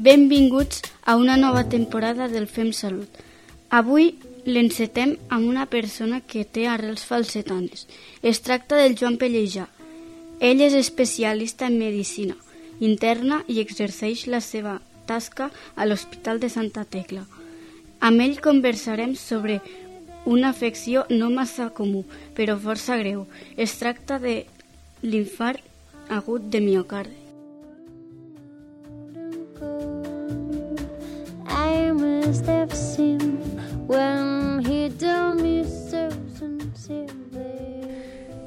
Benvinguts a una nova temporada del Fem Salut. Avui l'encetem amb una persona que té arrels falsetanes. Es tracta del Joan Pellejà. Ell és especialista en medicina interna i exerceix la seva tasca a l'Hospital de Santa Tecla. Amb ell conversarem sobre una afecció no massa comú, però força greu. Es tracta de l'infart agut de miocardi.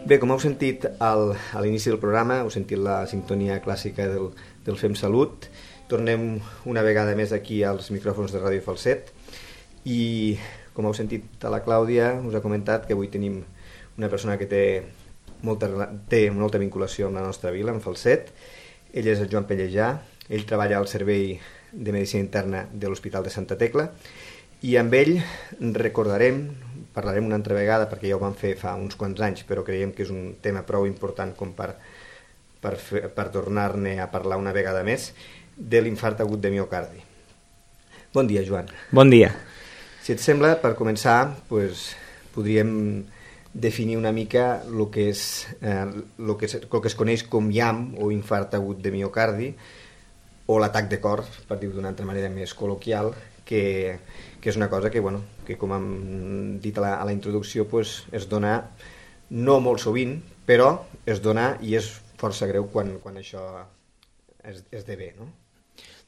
Bé, com heu sentit a l'inici del programa, heu sentit la sintonia clàssica del Fem Salut. Tornem una vegada més aquí als micròfons de Ràdio Falset i, com heu sentit a la Clàudia, us ha comentat que avui tenim una persona que té molta vinculació amb la nostra vila, amb Falset. Ell és el Joan Pellejà, ell treballa al Servei de Medicina Interna de l'Hospital de Santa Tecla i amb ell parlarem una altra vegada, perquè ja ho vam fer fa uns quants anys, però creiem que és un tema prou important com per tornar-ne a parlar una vegada més, de l'infart agut de miocardi. Bon dia, Joan. Bon dia. Si et sembla, per començar, podríem definir una mica el que es coneix com IAM, o infart agut de miocardi, o l'atac de cor, per dir-ho d'una altra manera més col·loquial, que és una cosa que com hem dit a la introducció, es dona no molt sovint, però es dona i és força greu quan això esdevé, no?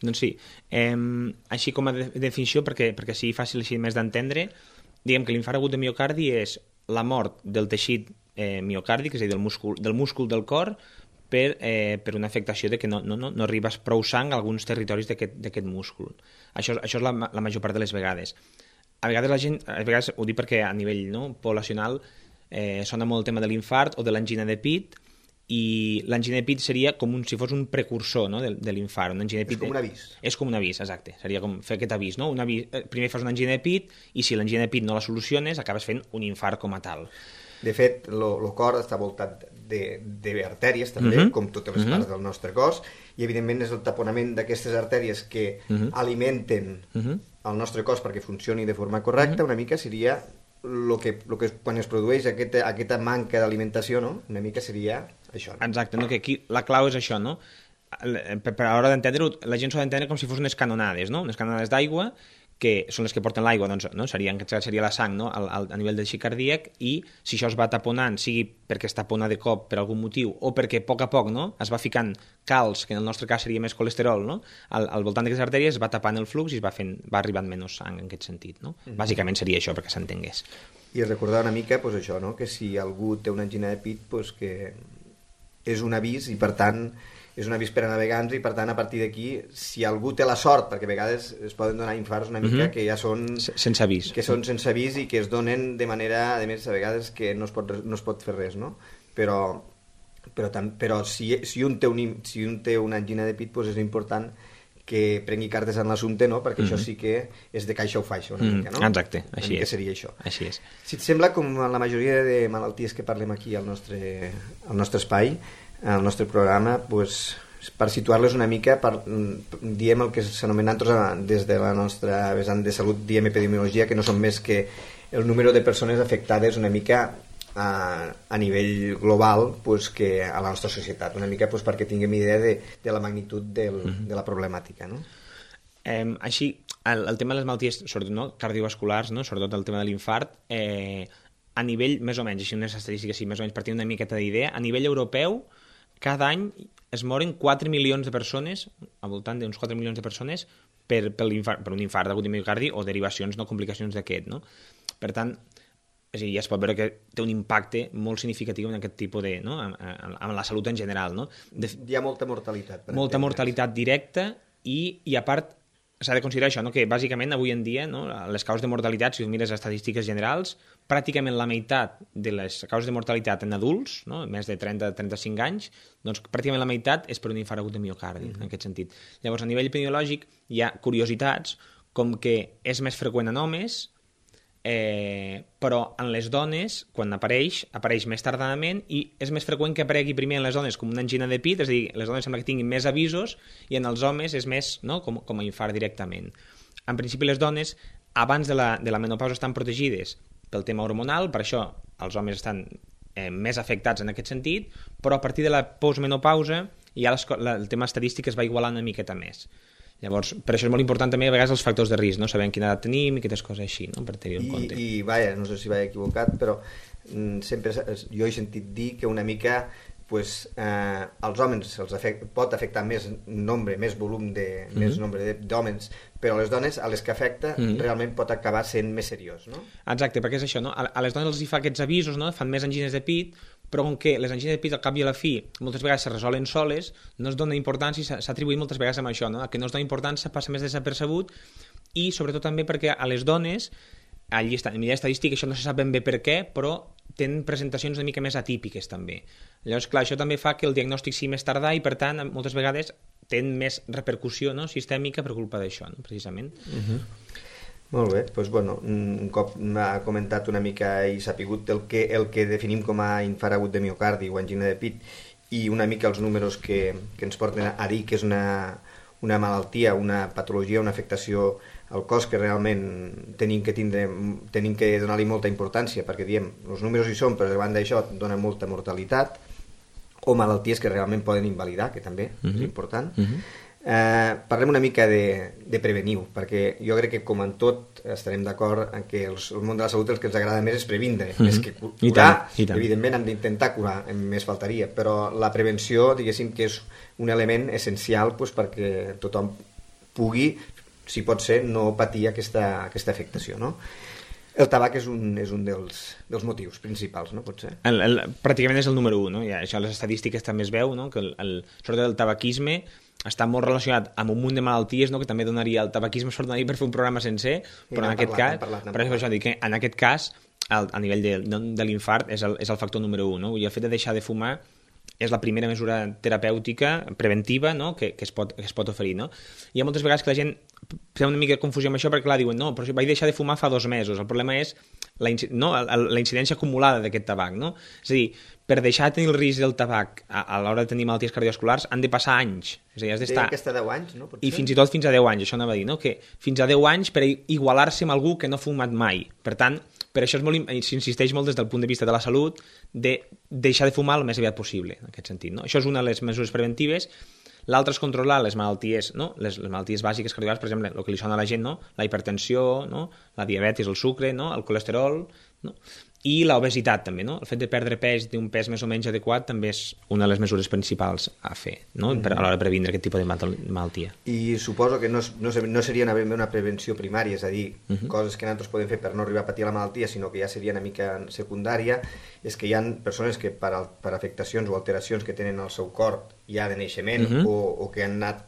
Doncs sí, així com a definició, perquè sigui fàcil així més d'entendre, diguem que l'infart agut de miocardi és la mort del teixit miocàrdic, és a dir, del múscul del cor, per una afectació de que no arriba prou sang a alguns territoris d'aquest múscul. Això és la major part de les vegades. A vegades ho dic perquè a nivell poblacional sona molt el tema de l'infart o de l'angina de pit, i l'angina de pit seria com si fos un precursor de l'infart. És com un avís. És com un avís, exacte. Seria com fer aquest avís. Primer fas una angina de pit i si l'angina de pit no la soluciones acabes fent un infart com a tal. De fet, el cor està voltat d'artèries també, com totes les parts del nostre cos, i evidentment és el taponament d'aquestes artèries que alimenten el nostre cos perquè funcioni de forma correcta. Una mica seria el que quan es produeix aquesta manca d'alimentació, una mica seria això. Exacte, que aquí la clau és això, no? Per a l'hora d'entendre-ho, la gent s'ho ha d'entendre com si fos unes canonades, no? Unes canonades d'aigua, que són les que porten l'aigua, doncs seria la sang a nivell del teixit cardíac, i si això es va taponant, sigui perquè es tapona de cop per algun motiu o perquè a poc es va ficant calç, que en el nostre cas seria més colesterol, al voltant d'aquestes artèries es va tapant el flux i va arribant menys sang en aquest sentit. Bàsicament seria això, perquè s'entengués. I recordar una mica això, que si algú té una angina de pit, que és un avís i per tant és un avís per a navegants i per tant a partir d'aquí si algú té la sort, perquè a vegades es poden donar infarts una mica que ja són sense avís, i que es donen de manera, a més a vegades que no es pot fer res, no? Però si un té una angina de pit, és important que prengui cartes en l'assumpte, perquè això sí que és de caixa o faixa una mica, no? Exacte, així és. Seria això. Així és. Si et sembla, com en la majoria de malalties que parlem aquí al nostre espai, al nostre programa, per situar-les una mica, diem el que s'anomena des de la nostra vessant de salut, diem epidemiologia, que no són més que el número de persones afectades una mica a nivell global que a la nostra societat, una mica perquè tinguem idea de la magnitud de la problemàtica, no? Així, el tema de les malalties, sobretot cardiovasculars, sobretot el tema de l'infart, a nivell, més o menys, així unes estadístiques més o menys per tenir una miqueta d'idea, a nivell europeu, cada any es moren 4 milions de persones, al voltant d'uns 4 milions de persones, per un infart agut de miocardi o derivacions, complicacions d'aquest, no? Per tant, ja es pot veure que té un impacte molt significatiu en aquest tipus de... amb la salut en general, no? Hi ha molta mortalitat. Molta mortalitat directa i a part s'ha de considerar això, que bàsicament avui en dia les causes de mortalitat, si ho mires a estadístiques generals, pràcticament la meitat de les causes de mortalitat en adults, més de 30-35 anys, doncs pràcticament la meitat és per un infart agut de miocardi, en aquest sentit. Llavors, a nivell epidemiològic hi ha curiositats com que és més freqüent en homes, però en les dones, quan apareix més tardadament i és més freqüent que aparegui primer en les dones com una angina de pit, és a dir, les dones sembla que tinguin més avisos i en els homes és més, no?, com a infart directament. En principi les dones abans de la menopausa estan protegides pel tema hormonal, per això els homes estan més afectats en aquest sentit, però a partir de la postmenopausa ja el tema estadístic es va igualant una miqueta més. Llavors, per això és molt important també a vegades els factors de risc, no? Sabem quina edat tenim i aquestes coses així, no? Per tenir en compte. I vaja, no sé si vaig equivocat, però sempre jo he sentit dir que una mica pues, als homes pot afectar més nombre, més volum més nombre d'homes, però a les dones, a les que afecta, realment pot acabar sent més seriós, no? Exacte, perquè és això, no? A les dones els hi fa aquests avisos, no? Fan més angines de pit, però com que les angines de pit al cap i a la fi moltes vegades se resolen soles, no es dona importància i s'ha atribuït moltes vegades amb això, no? Que no es dona importància, passa més desapercebut i sobretot també perquè a les dones a nivell estadístic això no se sap ben bé per què, però tenen presentacions una mica més atípiques també. Llavors, clar, això també fa que el diagnòstic sigui més tardà i per tant moltes vegades tenen més repercussió, no?, sistèmica per culpa d'això, no?, precisament. Molt bé, doncs bueno, un cop m'ha comentat una mica i sapigut el que definim com a infart agut de miocardi o angina de pit i una mica els números que ens porten a dir que és una malaltia, una patologia, una afectació al cos que realment tenim que donar-li molta importància perquè diem, els números hi són, però davant d'això dona molta mortalitat o malalties que realment poden invalidar, que també és important. Parlem una mica de prevenir, perquè jo crec que com en tot estarem d'acord en que el món de la salut el que ens agrada més és previndre, més que curar. I tant. Evidentment hem d'intentar curar, més faltaria, però la prevenció, diguéssim que és un element essencial pues, perquè tothom pugui, si pot ser, no patir aquesta afectació, no? El tabac és un dels motius principals, no? Pot ser? Pràcticament és el número 1, no? I això a les estadístiques també es veu, no? Que sobretot el tabaquisme està molt relacionat amb un munt de malalties, no? Que també donaria el tabaquisme donaria per fer un programa sencer, però en aquest cas, per això dic que en aquest cas, a nivell de l'infart és el factor número 1, no? I el fet de deixar de fumar és la primera mesura terapèutica preventiva, no? que es pot oferir, no? Hi ha moltes vegades que la gent té una mica de confusió amb això perquè clar, diuen, no, però vaig deixar de fumar fa 2 mesos, el problema és la incidència acumulada d'aquest tabac, no? És a dir, per deixar de tenir el risc del tabac a l'hora de tenir malalties cardiovasculars han de passar anys, és a dir, has d'estar... Aquesta 10 anys, no? I fins i tot fins a 10 anys, això anava a dir, no? Que fins a 10 anys per igualar-se amb algú que no ha fumat mai, per tant, per això s'insisteix molt des del punt de vista de la salut de deixar de fumar el més aviat possible, en aquest sentit, no? Això és una de les mesures preventives. L'altre és controlar les malalties, no? Les malalties bàsiques cardiovasculars, per exemple, el que li sona a la gent, no? La hipertensió, no? La diabetis, el sucre, no? El colesterol, no? I l'obesitat també, no? El fet de perdre pes, d'un pes més o menys adequat, també és una de les mesures principals a fer, no? A l'hora de previndre aquest tipus de malaltia. I suposo que no seria una prevenció primària, és a dir, coses que nosaltres podem fer per no arribar a patir la malaltia, sinó que ja seria una mica secundària, és que hi ha persones que per afectacions o alteracions que tenen al seu cor ja de naixement o que han anat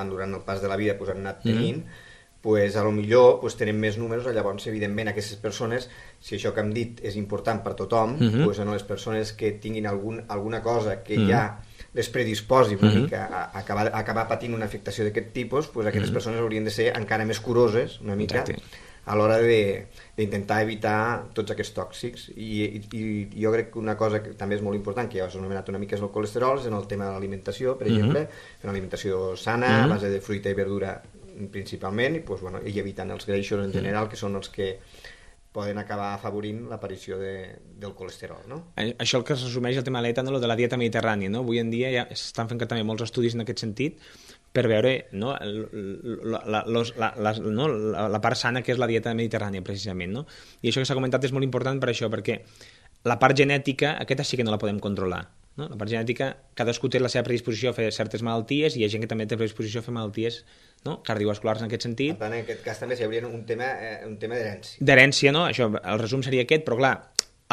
durant el pas de la vida han anat tenint, pues, a lo millor pues, tenen més números, llavors evidentment aquestes persones, si això que hem dit és important per tothom, pues, en les persones que tinguin alguna cosa que ja les predisposi una mica a acabar patint una afectació d'aquest tipus, pues, aquestes persones haurien de ser encara més curoses una mica a l'hora d'intentar evitar tots aquests tòxics i jo crec que una cosa que també és molt important, que ja us he anomenat una mica, és el colesterol, és en el tema de l'alimentació, per exemple, fer una alimentació sana, a base de fruita i verdura principalment, i evitant els greixos en general, que són els que poden acabar afavorint l'aparició del colesterol, no? Això el que es resumeix el tema de l'etanol de la dieta mediterrània, no? Avui en dia ja s'estan fent també molts estudis en aquest sentit per veure, no? La part sana que és la dieta mediterrània, precisament, no? I això que s'ha comentat és molt important per això, perquè la part genètica, aquesta sí que no la podem controlar, no? La part genètica, cadascú té la seva predisposició a fer certes malalties i hi ha gent que també té predisposició a fer malalties, no? Cardiovasculars en aquest sentit. Per tant, en aquest cas també hi hauria un tema d'herència. D'herència, no? Això, el resum seria aquest, però clar,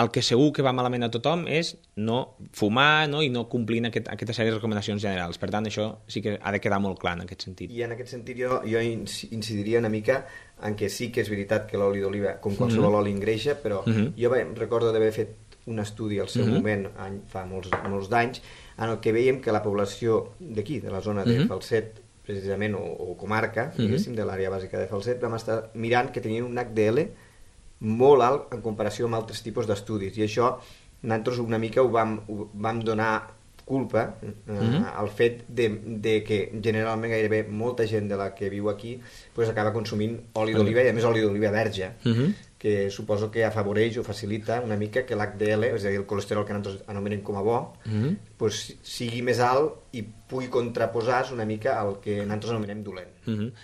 el que segur que va malament a tothom és no fumar, no? I no complint aquesta sèrie de recomanacions generals. Per tant, això sí que ha de quedar molt clar en aquest sentit. I en aquest sentit jo incidiria una mica en que sí que és veritat que l'oli d'oliva, com qualsevol oli, engreixa, però jo recordo d'haver fet un estudi al seu moment, fa molts d'anys, en el que veiem que la població d'aquí, de la zona de Falset, precisament, o comarca, diguéssim, de l'àrea bàsica de Falset, vam estar mirant que tenien un HDL molt alt en comparació amb altres tipus d'estudis, i això nosaltres una mica ho vam donar culpa al fet de que generalment gairebé molta gent de la que viu aquí pues, acaba consumint oli d'oliva, i a més oli d'oliva verge, que suposo que afavoreix o facilita una mica que l'HDL, és a dir, el colesterol que nosaltres anomenem com a bo, pues, sigui més alt i pugui contraposar una mica al que nosaltres anomenem dolent.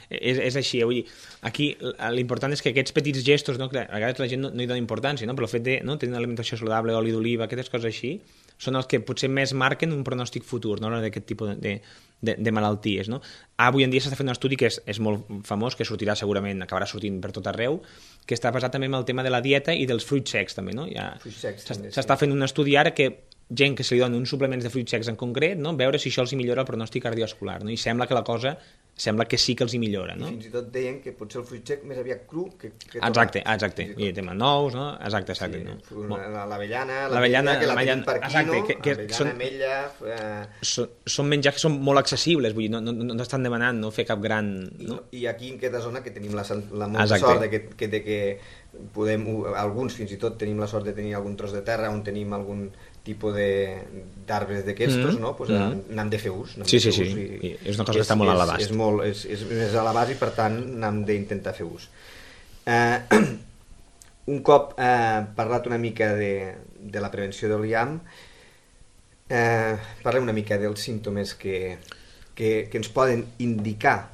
És així, vull dir, aquí l'important és que aquests petits gestos, no, que a vegades la gent no hi dona importància, no? Però el fet de tenir una alimentació saludable, oli d'oliva, aquestes coses així, són els que potser més marquen un pronòstic futur, no? D'aquest tipus de malalties, no? Avui en dia s'està fent un estudi que és molt famós, que sortirà segurament, acabarà sortint per tot arreu, que està basat també en el tema de la dieta i dels fruits secs també, no? S'està fent un estudi ara que gent que se li dona uns suplements de fruits secs en concret, no? Veure si això els millora el pronòstic cardiovascular, no? I sembla que la cosa que sí que els hi millora, no? I fins i tot deien que potser el fruit sec més aviat cru que exacte, i el tema nous, no? Exacte, sí, no? L'avellana que la tenim per aquí, exacte, no? Avellana, ametlla... Són menjars que són molt accessibles, vull dir, no estan demanant no fer cap gran... No? I aquí en aquesta zona que tenim la molta sort de que podem, alguns fins i tot tenim la sort de tenir algun tros de terra on tenim algun tipus d'arbres d'aquestos, no? Pues n'hem de fer ús. Sí, i és una cosa que està molt a l'abast. És més a l'abast i per tant n'hem d'intentar fer ús. Un cop parlat una mica de la prevenció del IAM, parlem una mica dels símptomes que ens poden indicar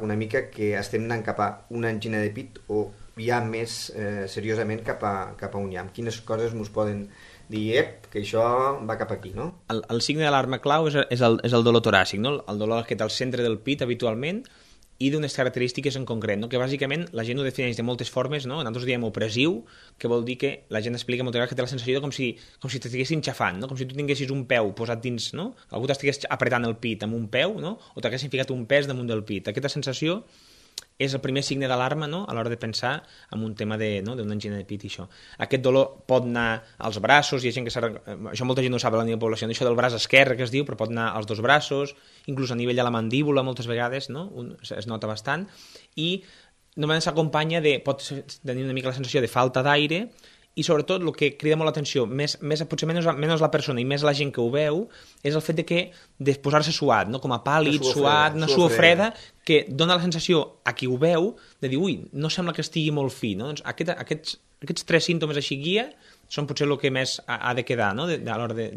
una mica que estem anant cap a una angina de pit o ja més seriosament cap a un IAM. Quines coses ens poden dir que això va cap aquí, no? El signe d'alarma clau és el dolor toràcic, no? El dolor que té al centre del pit habitualment i d'unes característiques en concret, no? Que bàsicament la gent ho defineix de moltes formes, no? Nosaltres diem opressiu, que vol dir que la gent explica moltes vegades que té la sensació com si t'estiguessin xafant, no? Com si tu tinguessis un peu posat dins, no? Algú t'estigués apretant el pit amb un peu, no? O t'haguessin ficat un pes damunt del pit. Aquesta sensació és el primer signe d'alarma, no? A l'hora de pensar en un tema d'una angina de pit i això. Aquest dolor pot anar als braços, hi ha gent que això molta gent no sap a la nivell de població, això del braç esquerre que es diu, però pot anar als dos braços, inclús a nivell de la mandíbula moltes vegades, no? Es nota bastant, i només s'acompanya pot tenir una mica la sensació de falta d'aire, i sobretot el que crida molt l'atenció, potser menys la persona i més la gent que ho veu, és el fet de posar-se suat, no? Com a pàl·lid, suat, una suor freda, que dona la sensació a qui ho veu de dir, ui, no sembla que estigui molt fi, no? Doncs aquests tres símptomes així guia són potser el que més ha de quedar, no? A l'hora de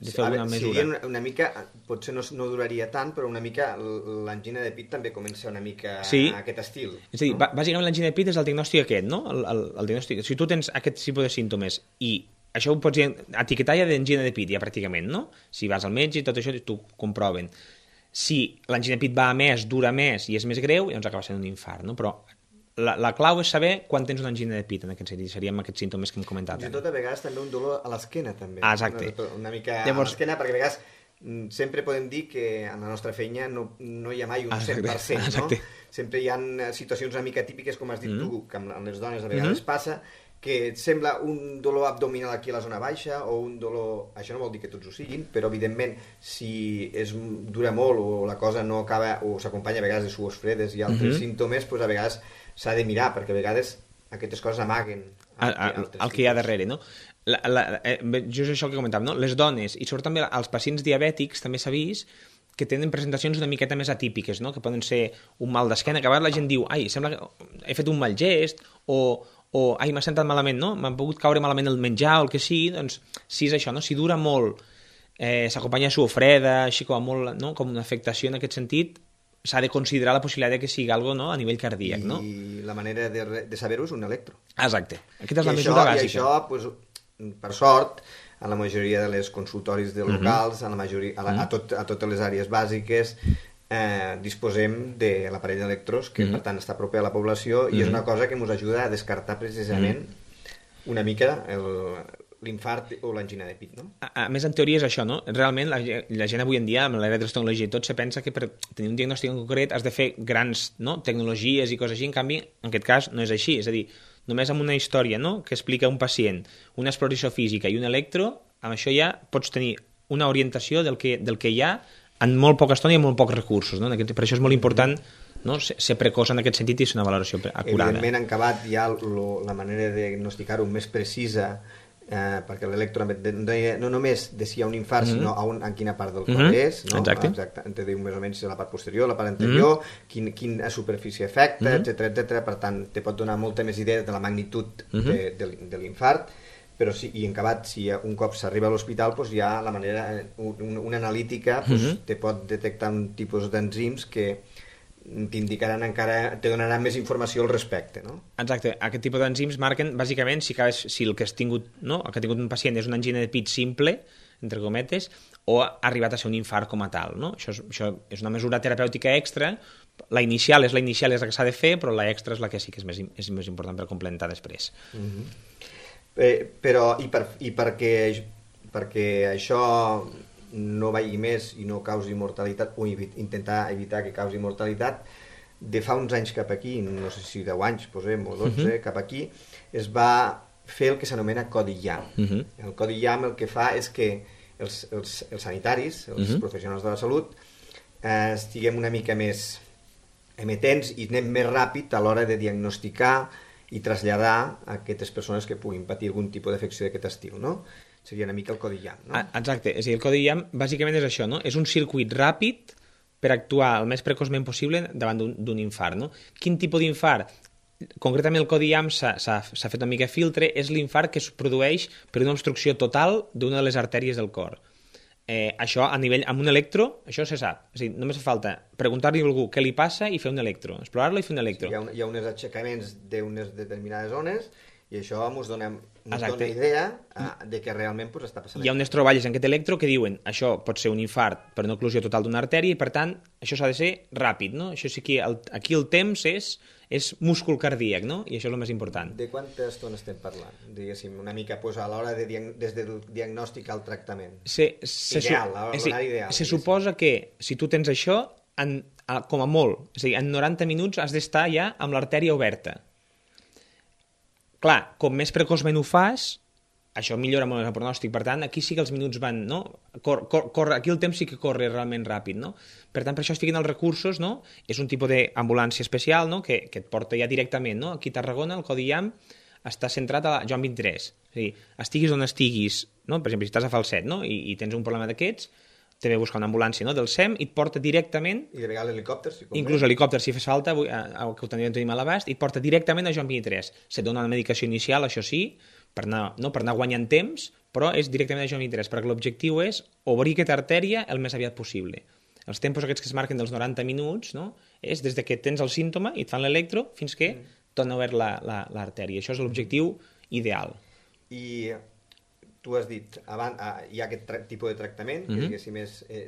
fer alguna mesura. Sí, una mica, potser no duraria tant, però una mica l'angina de pit també comença una mica aquest estil. És a dir, bàsicament l'angina de pit és el diagnòstic aquest, no? El diagnòstic. Si tu tens aquest tipus de símptomes i això ho pots etiquetar ja d'angina de pit, ja pràcticament, no? Si vas al metge i tot això t'ho comproven. Si l'angina de pit va a més, dura més i és més greu, llavors acaba sent un infart, no? Però la clau és saber quan tens una angina de pit, en aquest sentit, seríem aquests símptomes que hem comentat. Fins i tot a vegades també un dolor a l'esquena, també. Exacte. Una mica a l'esquena, perquè a vegades sempre podem dir que en la nostra feina no hi ha mai un 100%, no? Sempre hi ha situacions una mica típiques, com has dit tu, que amb les dones a vegades passa, que et sembla un dolor abdominal aquí a la zona baixa o un dolor... Això no vol dir que tots ho siguin, però evidentment si dura molt o la cosa no acaba o s'acompanya a vegades de suors fredes i altres símptomes, doncs a vegades s'ha de mirar, perquè a vegades aquestes coses amaguen el que hi ha darrere, no? Just això que comentàvem, no? Les dones, i sobretot també els pacients diabètics, també s'ha vist que tenen presentacions una miqueta més atípiques, no? Que poden ser un mal d'esquena, que a vegades la gent diu, ai, sembla que he fet un mal gest, o ai, m'ha sentat malament, no? M'ha pogut caure malament el menjar o el que sigui, doncs si és això, no? Si dura molt, s'acompanya de suor freda, així com molt, no? Com una afectació en aquest sentit, s'ha de considerar la possibilitat que sigui algo, no? A nivell cardíac, no? I la manera de saber-ho és un electro. Exacte. Aquesta és la mesura bàsica. I això, pues, per sort, a la majoria de les consultoris de locals, a totes les àrees bàsiques, disposem de l'aparell d'electros, que per tant està proper a la població, i és una cosa que ens ajuda a descartar precisament una mica l'infart o l'angina de pit, no? A més, en teoria és això, no? Realment, la gent avui en dia, amb l'era de les tecnologies i tot, se pensa que per tenir un diagnòstic en concret has de fer grans tecnologies i coses així, en canvi, en aquest cas, no és així. És a dir, només amb una història, no?, que explica un pacient, una exploració física i un electro, amb això ja pots tenir una orientació del que hi ha en molt poca estona i amb molt pocs recursos, no? Per això és molt important no? Ser precoç en aquest sentit i és una valoració acurada. Evidentment, en acabat hi ha la manera de diagnosticar-ho més precisa, perquè l'electro no només de si hi ha un infart, sinó en quina part del cor és, no? Exacte. Te diu més o menys la part posterior, la part anterior, quina superfície afecta, etc. Per tant, te pot donar molta més idea de la magnitud de l'infart, però i en acabat, si un cop s'arriba a l'hospital, hi ha la manera, una analítica te pot detectar un tipus d'enzims que t'indicaran encara, te donaran més informació al respecte, no? Exacte, aquest tipus d'enzims marquen bàsicament si el que has tingut, no? El que ha tingut un pacient és una angina de pit simple, entre cometes, o ha arribat a ser un infart com a tal, no? Això és una mesura terapèutica extra. La inicial és la que s'ha de fer, però la extra és la que sí que és més important per complementar després. Però perquè això no vagi més i no causi mortalitat, o intentar evitar que causi mortalitat, de fa uns anys cap aquí, no sé si 10 anys posem, o 12, cap aquí, es va fer el que s'anomena codi IAM. El codi IAM el que fa és que els sanitaris, els professionals de la salut, estiguem una mica més emetents i anem més ràpid a l'hora de diagnosticar i traslladar a aquestes persones que puguin patir algun tipus d'afecció d'aquest estil, no? Seria una mica el codi IAM, no? Exacte, és a dir, el codi IAM bàsicament és això, no? És un circuit ràpid per actuar el més precoçment possible davant d'un infart, no? Quin tipus d'infart? Concretament el codi IAM s'ha fet una mica filtre, és l'infart que es produeix per una obstrucció total d'una de les artèries del cor. Això a nivell, amb un electro, això se sap. És a dir, només fa falta preguntar-li a algú què li passa i fer un electro, explorar-lo i fer un electro. Sí, hi ha uns aixecaments d'unes determinades zones i això ens dona idea de que realment està passant. Hi ha unes troballes en aquest electro que diuen això pot ser un infart per una oclusió total d'una artèria i per tant això s'ha de ser ràpid, no? Això sí que aquí el temps és múscul cardíac, no? I això és el més important. De quanta estona estem parlant? Diguéssim, una mica a l'hora des del diagnòstic al tractament. Ideal. Se suposa que si tu tens això, com a molt, és a dir, en 90 minuts has d'estar ja amb l'artèria oberta. Clar, com més precoçment ho fas, això millora molt el pronòstic. Per tant, aquí sí que els minuts van, no? Aquí el temps sí que corre realment ràpid, no? Per tant, per això es fiquen els recursos, no? És un tipus d'ambulància especial, no? Que et porta ja directament, no? Aquí a Tarragona, el codi IAM està centrat a Joan 23. És a dir, estiguis on estiguis, no? Per exemple, si estàs a Falset, no? I tens un problema d'aquests, te ve buscar una ambulància, no? Del SEM i et porta directament... I de vegades l'helicòpter, si convé. Inclús l'helicòpter, si fes falta, que ho tenim a l'abast, i et porta directament a Joan 23. Se't dona una medicació inicial, això sí, per anar guanyant temps, però és directament a Joan 23, perquè l'objectiu és obrir aquesta artèria el més aviat possible. Els tempos aquests que es marquen dels 90 minuts, no? És des que tens el símptoma i et fan l'electro fins que torna obert l'artèria. Això és l'objectiu ideal. I tu has dit, hi ha aquest tipus de tractament, que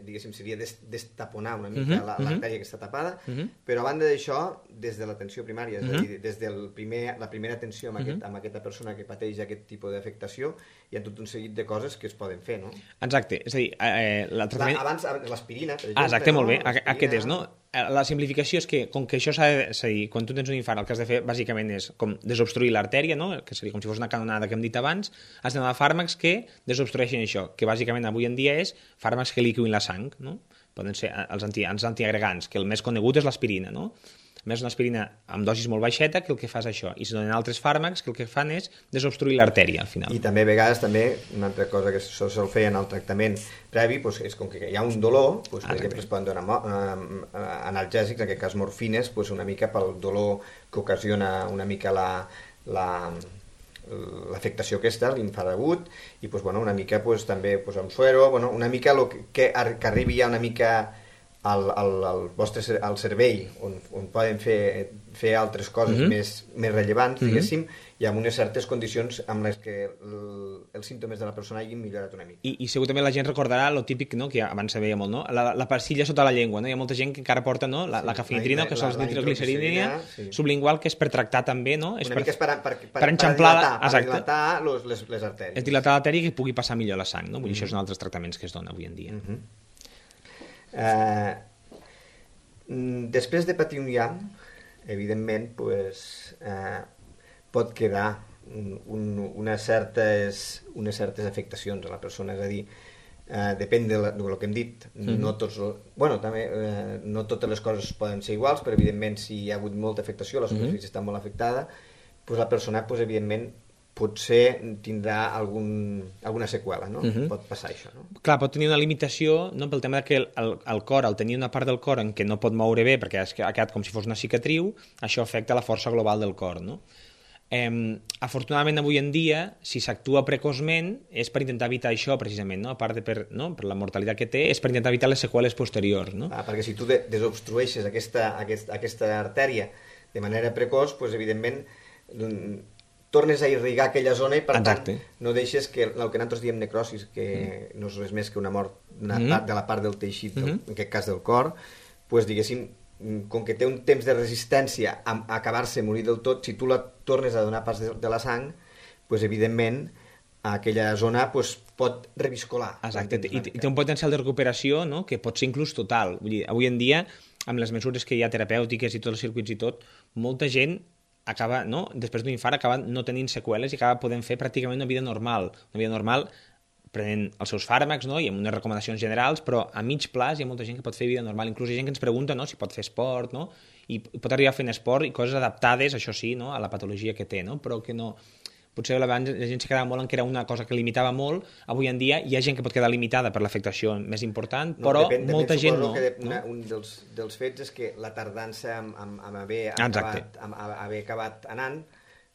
diguéssim seria destaponar una mica l'artèria que està tapada, però a banda d'això, des de l'atenció primària, és a dir, des de la primera atenció amb aquesta persona que pateix aquest tipus d'afectació, hi ha tot un seguit de coses que es poden fer, no? Exacte, és a dir, el tractament... Abans, l'aspirina, per exemple. Exacte, molt bé, aquest és, no? La simplificació és que, com que això s'ha de... És a dir, quan tu tens un infart, el que has de fer bàsicament és com desobstruir l'artèria, no? Que seria com si fos una canonada que hem dit abans, has d'anar a fàrmacs que desobstrueixin això, que bàsicament avui en dia és fàrmacs que liquidin la sang, no? Poden ser els antiagregants, que el més conegut és l'aspirina, no? A més, una aspirina amb dosis molt baixeta que el que fa és això, i se donen altres fàrmacs que el que fan és desobstruir l'artèria al final. I també a vegades una altra cosa que se'l feia en el tractament previ és com que hi ha un dolor, per exemple es poden donar analgèsics, en aquest cas morfines, una mica pel dolor que ocasiona una mica l'afectació aquesta, l'infart agut, i una mica també un suero, una mica que arribi ja una mica al cervell, on poden fer altres coses més rellevants, diguéssim, i amb unes certes condicions amb les que els símptomes de la persona hagin millorat una mica. I segur també la gent recordarà lo típic, no?, que abans se veia molt, no?, la pastilla sota la llengua, no? Hi ha molta gent que encara porta, no?, la cafeïnitrina, que és la nitroglicerina sublingual, que és per tractar també, no? Una mica és per enxamplar, dilatar les artèries. És dilatar l'artèria i que pugui passar millor la sang, no? Vull dir, això és un altres tractaments que es dona avui en dia. Després de patir un IAM, evidentment, pot quedar unes certes afectacions a la persona, és a dir, depèn del que hem dit, no totes les coses poden ser iguals, però evidentment si hi ha hagut molta afectació, la superfície està molt afectada, doncs la persona evidentment potser tindrà alguna seqüela, no? Pot passar això, no? Clar, pot tenir una limitació, no? Pel tema que el cor, al tenir una part del cor en què no pot moure bé perquè ha quedat com si fos una cicatriu, això afecta la força global del cor, no? Afortunadament avui en dia, si s'actua precoçment, és per intentar evitar això precisament, no? A part de per la mortalitat que té, és per intentar evitar les seqüeles posteriors, no? Perquè si tu desobstrueixes aquesta artèria de manera precoç, doncs evidentment tornes a irrigar aquella zona i per tant no deixes que el que nosaltres diem necrosis, que no és res més que una mort de la part del teixit, en aquest cas del cor, doncs diguéssim, com que té un temps de resistència a acabar-se, morir del tot, si tu la tornes a donar pas de la sang, doncs evidentment aquella zona pot reviscolar. Exacte, i té un potencial de recuperació, no? Que pot ser inclús total. Vull dir, avui en dia, amb les mesures que hi ha terapèutiques i tots els circuits i tot, molta gent acaba, no? Després d'un infart acaba no tenint seqüeles i acaba podent fer pràcticament una vida normal prenent els seus fàrmacs, no? I amb unes recomanacions generals, però a mig plaç hi ha molta gent que pot fer vida normal, inclús hi ha gent que ens pregunta, no? Si pot fer esport, no? I pot arribar fent esport i coses adaptades, això sí, no? A la patologia que té, no? Però que no... Potser abans la gent se quedava molt en que era una cosa que limitava molt, avui en dia hi ha gent que pot quedar limitada per l'afectació més important, però molta gent no. Un dels fets és que la tardança amb haver acabat anant,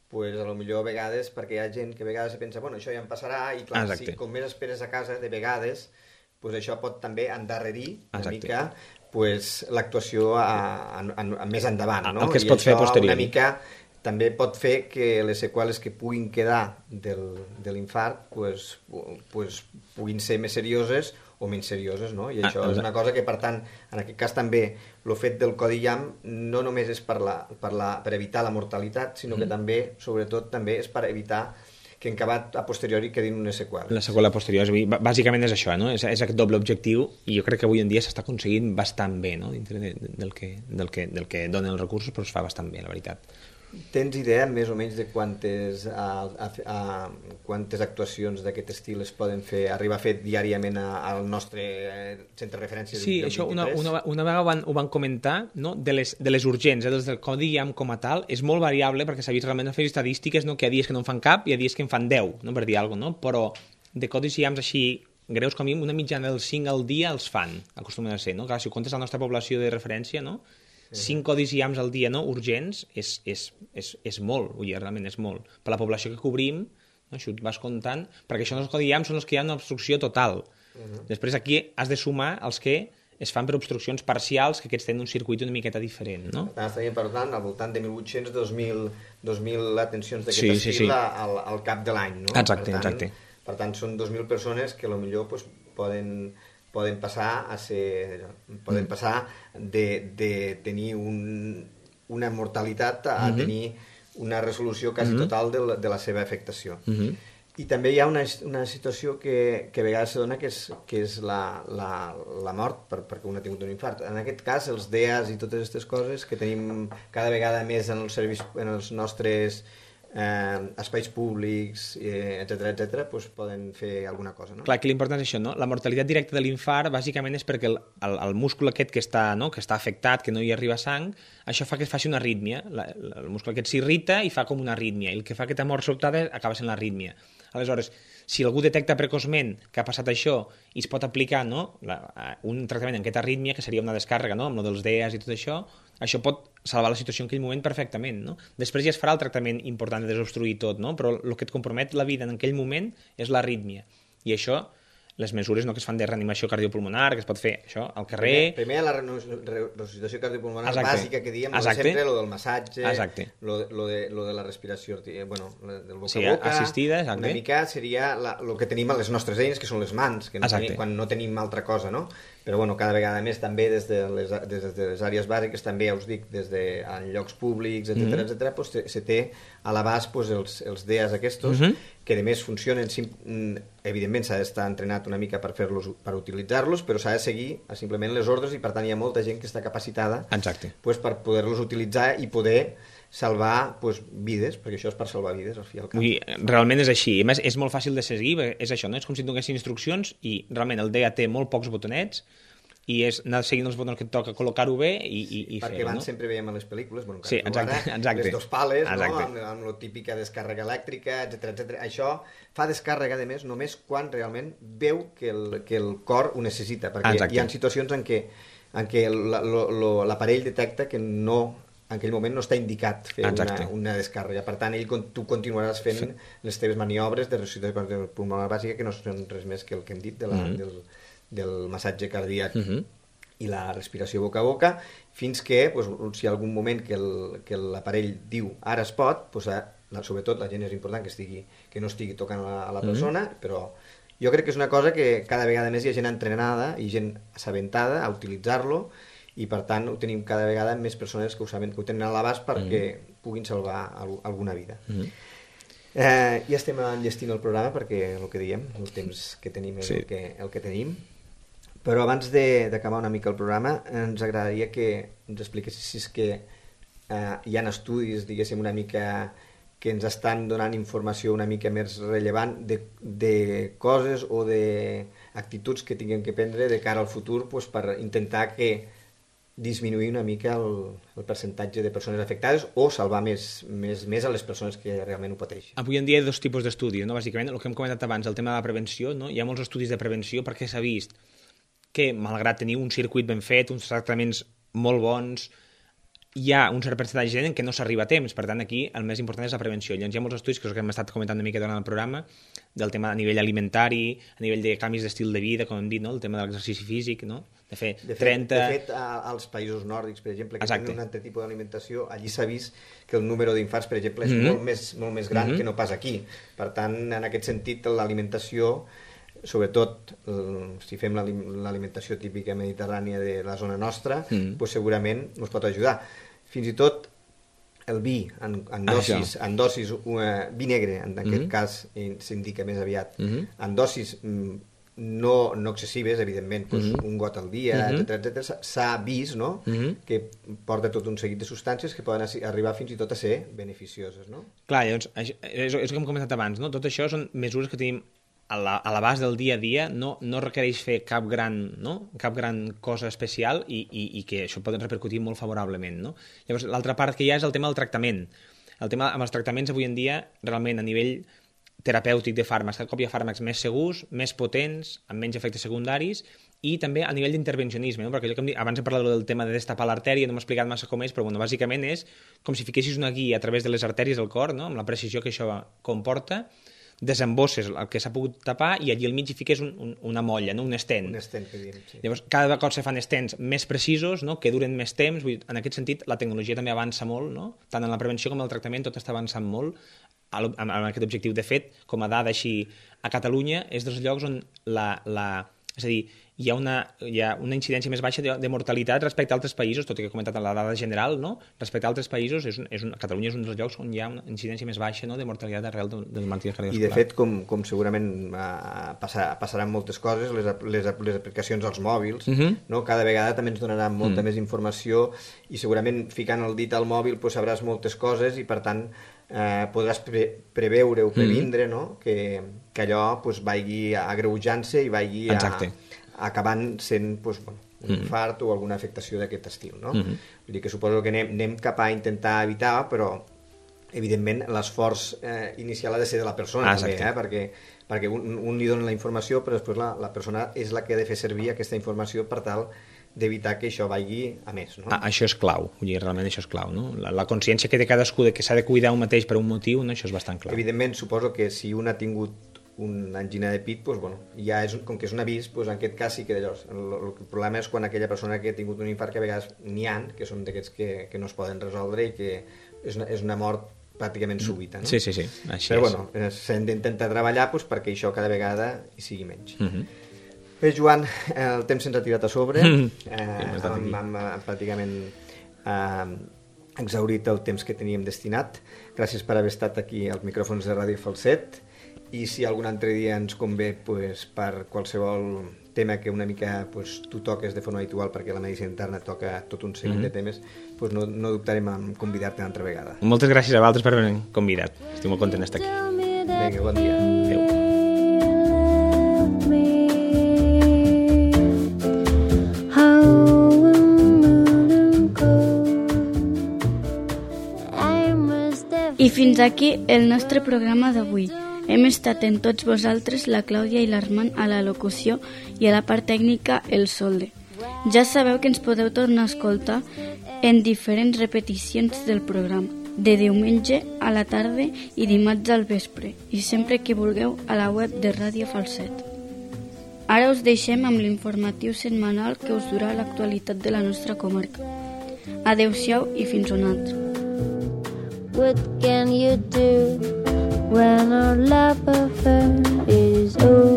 doncs potser a vegades, perquè hi ha gent que a vegades pensa, bueno, això ja em passarà, i clar, si com més esperes a casa, de vegades, doncs això pot també endarrerir una mica l'actuació més endavant, no? El que es pot fer posterior. Una mica també pot fer que les seqüeles que puguin quedar de l'infart puguin ser més serioses o menys serioses, no? I això és una cosa que, per tant, en aquest cas també el fet del codi IAM no només és per evitar la mortalitat, sinó que també, sobretot, també és per evitar que en acabat a posteriori quedin unes seqüeles. La seqüela posterior, bàsicament és això, no? És aquest doble objectiu, i jo crec que avui en dia s'està aconseguint bastant bé, no? Dintre del que donen els recursos, però es fa bastant bé, la veritat. Tens idea més o menys de quantes actuacions d'aquest estil es poden fer, arribar a fer diàriament al nostre centre de referència? Sí, això una vegada ho van comentar, no? De les urgents, des del codi IAM com a tal, és molt variable perquè s'ha vist realment a fer estadístiques, no? Que hi ha dies que no en fan cap i hi ha dies que en fan 10, no? Per dir alguna cosa, no? Però de codis IAMs així greus com a mínim, una mitjana dels 5 al dia els fan, acostumen a ser, no? Clar, si ho comptes la nostra població de referència, no? 5 codis IAMs al dia, no? Urgents, és molt, vull dir, realment és molt. Per la població que cobrim, no? Això et vas comptant, perquè això els codis IAMs són els que hi ha una obstrucció total. Després aquí has de sumar els que es fan per obstruccions parcials, que aquests tenen un circuit una miqueta diferent, no? Estaríem parlant al voltant de 1.800-2.000 atencions d'aquest estil al cap de l'any, no? Exacte. Per tant, són 2.000 persones que potser poden passar de tenir una mortalitat a tenir una resolució quasi total de la seva afectació. I també hi ha una situació que a vegades se dona, que és la mort perquè un ha tingut un infart. En aquest cas, els DEAs i totes aquestes coses que tenim cada vegada més en els nostres espais públics, etcètera, doncs poden fer alguna cosa, no? Clar, que l'important és això, no? La mortalitat directa de l'infart bàsicament és perquè el múscul aquest que està afectat, que no hi arriba sang, això fa que es faci una arrítmia. El múscul aquest s'irrita i fa com una arrítmia, i el que fa aquesta mort sobtada acaba sent l'arrítmia. Aleshores, si algú detecta precoçment que ha passat això i es pot aplicar, no? Un tractament en aquesta arrítmia, que seria una descàrrega, no? Amb el dels DEAs i tot això pot salvar la situació en aquell moment perfectament, no? Després ja es farà el tractament important de desobstruir tot, no? Però el que et compromet la vida en aquell moment és l'arrítmia. I això, les mesures que es fan de reanimació cardiopulmonar, que es pot fer això al carrer... Primer la resuscitació cardiopulmonar bàsica que diem, sempre lo del massatge, lo de la respiració, del boca-a-boca, assistida, una mica seria el que tenim a les nostres eines, que són les mans, que quan no tenim altra cosa, no? Però cada vegada més també des de les àrees bàsiques, també ja us dic, des de llocs públics, etcètera, se té a l'abast els DEAs aquests, que a més funcionen, evidentment s'ha d'estar entrenat una mica per utilitzar-los, però s'ha de seguir simplement les ordres, i per tant hi ha molta gent que està capacitada per poder-los utilitzar i poder salvar vides, perquè això és per salvar vides al fi i al cap. Realment és així, a més és molt fàcil de seguir, és això, no? És com si donessin instruccions i realment el DEA té molt pocs botonets i és anar seguint els botons que et toca, col·locar-ho bé i fer-ho, perquè abans sempre veiem a les pel·lícules, sí, exacte. Les dos pales, no? Amb la típica descàrrega elèctrica, etc. Això fa descàrrega, a més, només quan realment veu que el cor ho necessita, perquè hi ha situacions en què l'aparell detecta que no, en aquell moment no està indicat fer una descàrrega. Per tant, tu continuaràs fent les teves maniobres de resuscitació pulmonar bàsica, que no són res més que el que hem dit del massatge cardíac i la respiració boca a boca, fins que, si hi ha algun moment que l'aparell diu ara es pot, sobretot la gent és important que no estigui tocant a la persona, però jo crec que és una cosa que cada vegada més hi ha gent entrenada i gent assabentada a utilitzar-lo, i per tant ho tenim cada vegada més persones que ho saben, que ho tenen a l'abast perquè puguin salvar alguna vida. Ja estem enllestint el programa perquè el que diem, el temps que tenim és el que tenim, però abans d'acabar una mica el programa ens agradaria que ens expliquessis si és que hi ha estudis, diguéssim, una mica que ens estan donant informació una mica més rellevant de coses o d'actituds que tinguem que prendre de cara al futur per intentar disminuir una mica el percentatge de persones afectades o salvar més a les persones que realment ho pateixen. Avui en dia hi ha dos tipus d'estudis, no? Bàsicament, el que hem comentat abans, el tema de la prevenció, no? Hi ha molts estudis de prevenció perquè s'ha vist que, malgrat tenir un circuit ben fet, uns tractaments molt bons, hi ha un cert percentatge de gent que no s'arriba a temps. Per tant, aquí el més important és la prevenció. Llavors hi ha molts estudis, que és el que hem estat comentant una mica durant el programa, del tema a nivell alimentari, a nivell de canvis d'estil de vida, com hem dit, no? El tema de l'exercici físic, no? De fet, als països nòrdics, per exemple, que tenen un altre tipus d'alimentació, allí s'ha vist que el número d'infarts, per exemple, és molt més gran que no pas aquí. Per tant, en aquest sentit, l'alimentació, sobretot si fem l'alimentació típica mediterrània de la zona nostra, segurament ens pot ajudar. Fins i tot el vi en dosis vi negre, en aquest cas s'indica més aviat, en dosis no excessives, evidentment, un got al dia, etc. S'ha vist que porta tot un seguit de substàncies que poden arribar fins i tot a ser beneficioses. Clar, llavors, és el que hem comentat abans, tot això són mesures que tenim a l'abast del dia a dia, no requereix fer cap gran cosa especial i que això pot repercutir molt favorablement. Llavors, l'altra part que hi ha és el tema del tractament. El tema amb els tractaments avui en dia, realment a nivell terapèutic de fàrmacs, cada cop hi ha fàrmacs més segurs, més potents, amb menys efectes secundaris, i també a nivell d'intervencionisme, perquè allò que abans he parlat del tema de destapar l'artèria, no m'he explicat massa com és, però bàsicament és com si fiquessis una guia a través de les artèries del cor, amb la precisió que això comporta, desembosses el que s'ha pogut tapar i allí al mig hi fiques una molla, un estent. Un estent, que diem, sí. Llavors, cada cop se fan estents més precisos, que duren més temps. En aquest sentit, la tecnologia també avança molt, tant en la prevenció com en el tractament, tot està avançant molt amb aquest objectiu. De fet, com a dada així, a Catalunya és dels llocs on és a dir, hi ha una incidència més baixa de mortalitat respecte a altres països, tot i que he comentat la dada general, respecte a altres països, Catalunya és un dels llocs on hi ha una incidència més baixa de mortalitat arrel de malalties cardiovasculars. I de fet, com segurament passaran moltes coses, les aplicacions als mòbils, cada vegada també ens donaran molta més informació i segurament ficant el dit al mòbil sabràs moltes coses i per tant podràs preveure o previndre que allò vagi agreujant-se i vagi acabant sent un infart o alguna afectació d'aquest estil. Vull dir que suposo que anem cap a intentar evitar, però evidentment l'esforç inicial ha de ser de la persona també, perquè un li dona la informació però després la persona és la que ha de fer servir aquesta informació per tal d'evitar que això vagi a més. Això és clau, realment això és clau. La consciència que té cadascú de que s'ha de cuidar un mateix per un motiu, això és bastant clau. Evidentment, suposo que si un ha tingut una angina de pit, ja com que és un avís, en aquest cas sí que llavors. El problema és quan aquella persona que ha tingut un infart, que a vegades n'hi ha, que són d'aquests que no es poden resoldre i que és una mort pràcticament súbita. Sí, així però s'han d'intentar treballar perquè això cada vegada hi sigui menys. Bé, Joan, el temps se'ns ha tirat a sobre, hem pràcticament exhaurit el temps que teníem destinat. Gràcies per haver estat aquí als micròfons de Ràdio Falset, i si algun altre dia ens convé per qualsevol tema que una mica tu toques de forma habitual, perquè la medicina interna toca tot un seguit de temes, no dubtarem en convidar-te una altra vegada. Moltes gràcies a vosaltres per haver-me convidat. Estic molt content d'estar aquí. Vinga, bon dia. Adéu. I fins aquí el nostre programa d'avui. Hem estat en tots vosaltres la Clàudia i l'Armand a la locució i a la part tècnica el Solde. Ja sabeu que ens podeu tornar a escoltar en diferents repeticions del programa, de diumenge a la tarda i dimarts al vespre, i sempre que vulgueu a la web de Ràdio Falset. Ara us deixem amb l'informatiu setmanal que us durà l'actualitat de la nostra comarca. Adéu-siau i fins una altra. What can you do when our love affair is over?